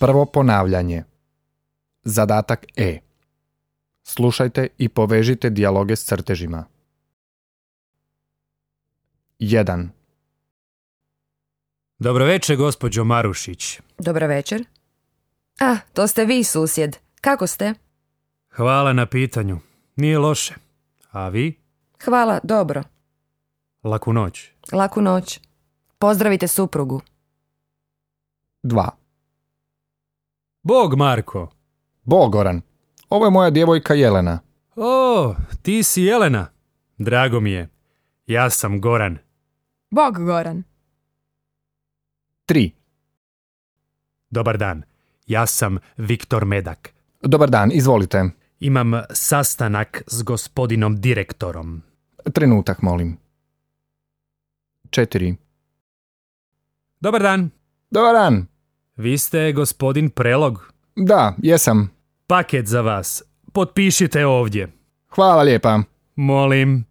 Prvo ponavljanje. Zadatak E. Slušajte i povežite dijaloge s crtežima. 1. Dobro večer, gospođo Marušić. Dobro večer. Ah, to ste vi, susjed. Kako ste? Hvala na pitanju. Nije loše. A vi? Hvala, dobro. Laku noć. Laku noć. Pozdravite suprugu. 2. Bog, Marko. Bog, Goran. Ovo je moja djevojka Jelena. O, ti si Jelena. Drago mi je. Ja sam Goran. Bog, Goran. 3. Dobar dan. Ja sam Viktor Medak. Dobar dan, izvolite. Imam sastanak s gospodinom direktorom. Trenutak, molim. 4. Dobar dan. Dobar dan. Vi ste gospodin Prelog. Da, jesam. Paket za vas. Potpišite ovdje. Hvala lijepa. Molim.